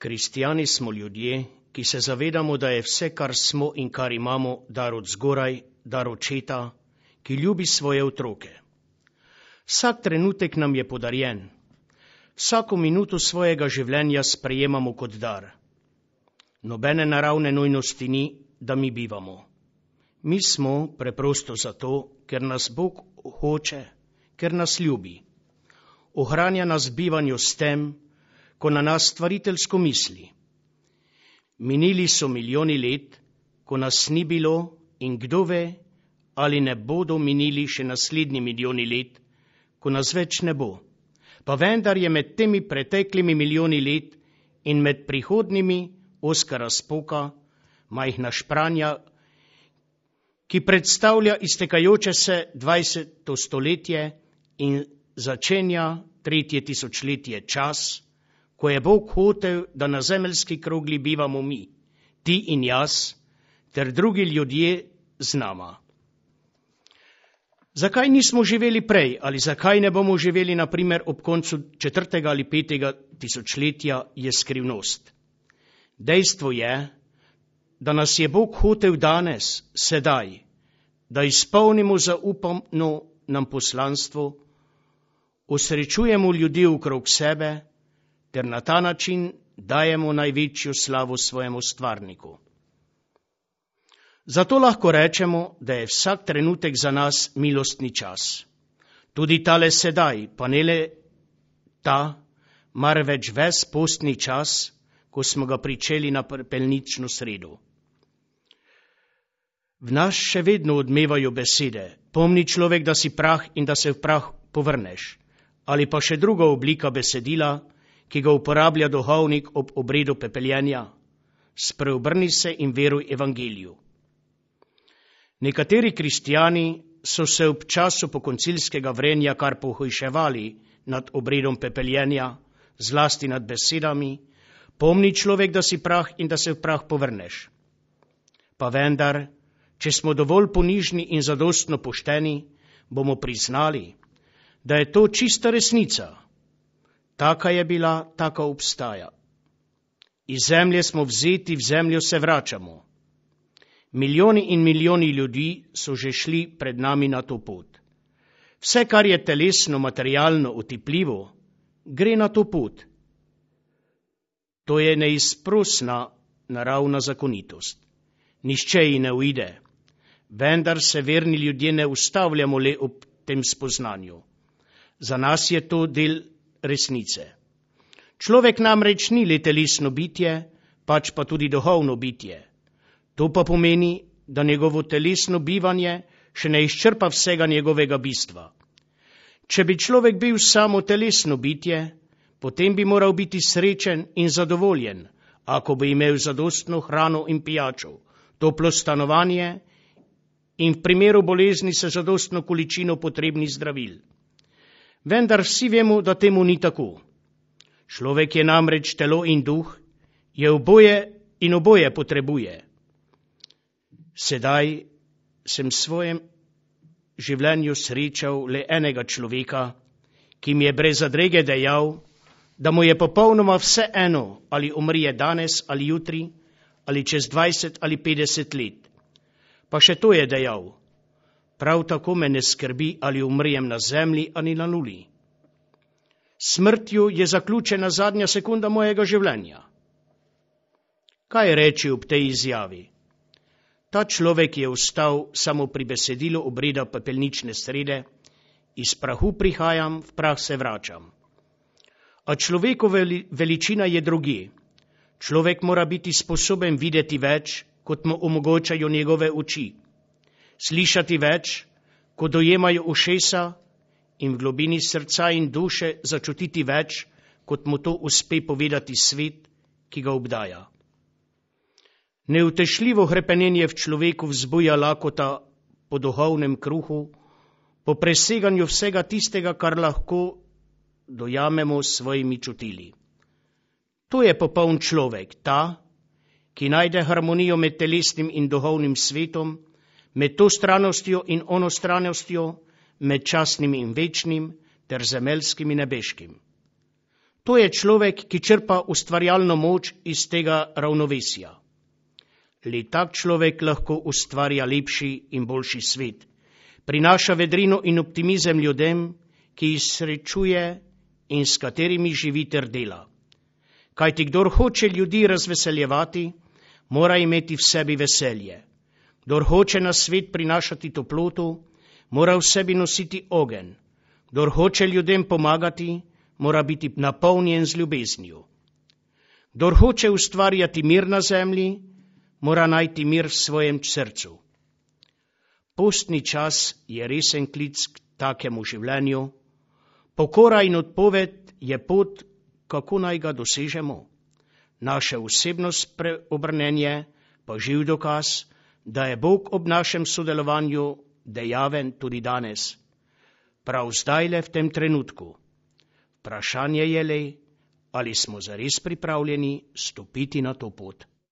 Kristjani smo ljudje, ki se zavedamo, da je vse, kar smo in kar imamo, dar od zgoraj, dar očeta, ki ljubi svoje otroke. Vsak trenutek nam je podarjen. Vsako minuto svojega življenja sprejemamo kot dar. Nobene naravne nujnosti ni, da mi bivamo. Mi smo preprosto zato, ker nas Bog hoče, ker nas ljubi. Ohranja nas v bivanju s tem, ko na nas stvariteljsko misli. Minili so milijoni let, ko nas ni bilo, in kdo ve, ali ne bodo minili še naslednji milijoni let, ko nas več ne bo. Pa vendar je med temi preteklimi milijoni let in med prihodnimi ozka razpoka, majhna špranja, ki predstavlja iztekajoče se 20. stoletje in začenja 3. tisočletje čas, ko je Bog hotel, da na zemeljski krogli bivamo mi, ti in jaz, ter drugi ljudje z nama. Zakaj nismo živeli prej ali zakaj ne bomo živeli, na primer, ob koncu 4. ali 5. tisočletja, je skrivnost. Dejstvo je, da nas je Bog hotel danes, sedaj, da izpolnimo zaupano nam poslanstvo, osrečujemo ljudi okrog sebe, ter na ta način dajemo največjo slavo svojemu stvarniku. Zato lahko rečemo, da je vsak trenutek za nas milostni čas. Tudi tale sedaj, pa ne le ta, marveč ves postni čas, ko smo ga pričeli na pepelnično sredo. V nas še vedno odmevajo besede: pomni človek, da si prah in da se v prah povrneš, ali pa še druga oblika besedila, ki ga uporablja duhovnik ob obredu pepeljenja: spreobrni se in veruj evangeliju. Nekateri kristjani so se ob času pokoncilskega vrenja kar pohujševali nad obredom pepeljenja, zlasti nad besedami: pomni človek, da si prah in da se v prah povrneš. Pa vendar, če smo dovolj ponižni in zadostno pošteni, bomo priznali, da je to čista resnica. Taka je bila, taka obstaja. Iz zemlje smo vzeti, v zemljo se vračamo. Milijoni in milijoni ljudi so že šli pred nami na to pot. Vse, kar je telesno, materialno, otipljivo, gre na to pot. To je neizprosna naravna zakonitost. Nihče ji ne uide, vendar se verni ljudje ne ustavljamo le ob tem spoznanju. Za nas je to del resnice. Človek namreč ni le telesno bitje, pač pa tudi duhovno bitje. To pa pomeni, da njegovo telesno bivanje še ne izčrpa vsega njegovega bistva. Če bi človek bil samo telesno bitje, potem bi moral biti srečen in zadovoljen, ako bi imel zadostno hrano in pijačo, toplo stanovanje in v primeru bolezni se zadostno količino potrebnih zdravil. Vendar vsi vemo, da temu ni tako. Človek je namreč telo in duh, je oboje in oboje potrebuje. Sedaj sem v svojem življenju srečal le enega človeka, ki mi je brez zadrege dejal, da mu je popolnoma vse eno, ali umrije danes ali jutri, ali čez 20 ali 50 let. Pa še to je dejal: prav tako me ne skrbi, ali umrijem na zemlji ali na nuli. Smrtju je zaključena zadnja sekunda mojega življenja. Kaj reči ob tej izjavi? Ta človek je ostal samo pri besedilu obreda pepelnične srede: iz prahu prihajam, v prah se vračam. A človekova veličina je drugje. Človek mora biti sposoben videti več, kot mu omogočajo njegove oči, slišati več, kot dojemajo ušesa, in v globini srca in duše začutiti več, kot mu to uspe povedati svet, ki ga obdaja. Neutešljivo hrepenenje v človeku vzbuja lakota po duhovnem kruhu, po preseganju vsega tistega, kar lahko dojamemo s svojimi čutili. To je popoln človek, ta, ki najde harmonijo med telesnim in duhovnim svetom, med to stranostjo in ono stranostjo, med časnim in večnim ter zemeljskim in nebeškim. To je človek, ki črpa ustvarjalno moč iz tega ravnovesja. Le tak človek lahko ustvarja lepši in boljši svet. Prinaša vedrino in optimizem ljudem, ki jih srečuje in s katerimi živi ter dela. Kajti kdor hoče ljudi razveseljevati, mora imeti v sebi veselje. Kdor hoče na svet prinašati toploto, mora v sebi nositi ogenj. Kdor hoče ljudem pomagati, mora biti napolnjen z ljubeznijo. Kdor hoče ustvarjati mir na zemlji, mora najti mir v svojem srcu. Postni čas je resen klic k takemu življenju. Pokora in odpoved je pot, kako naj ga dosežemo. Naše osebno preobrnenje pa živ dokaz, da je Bog ob našem sodelovanju dejaven tudi danes. Prav zdajle v tem trenutku. Vprašanje je le, ali smo zares pripravljeni stopiti na to pot.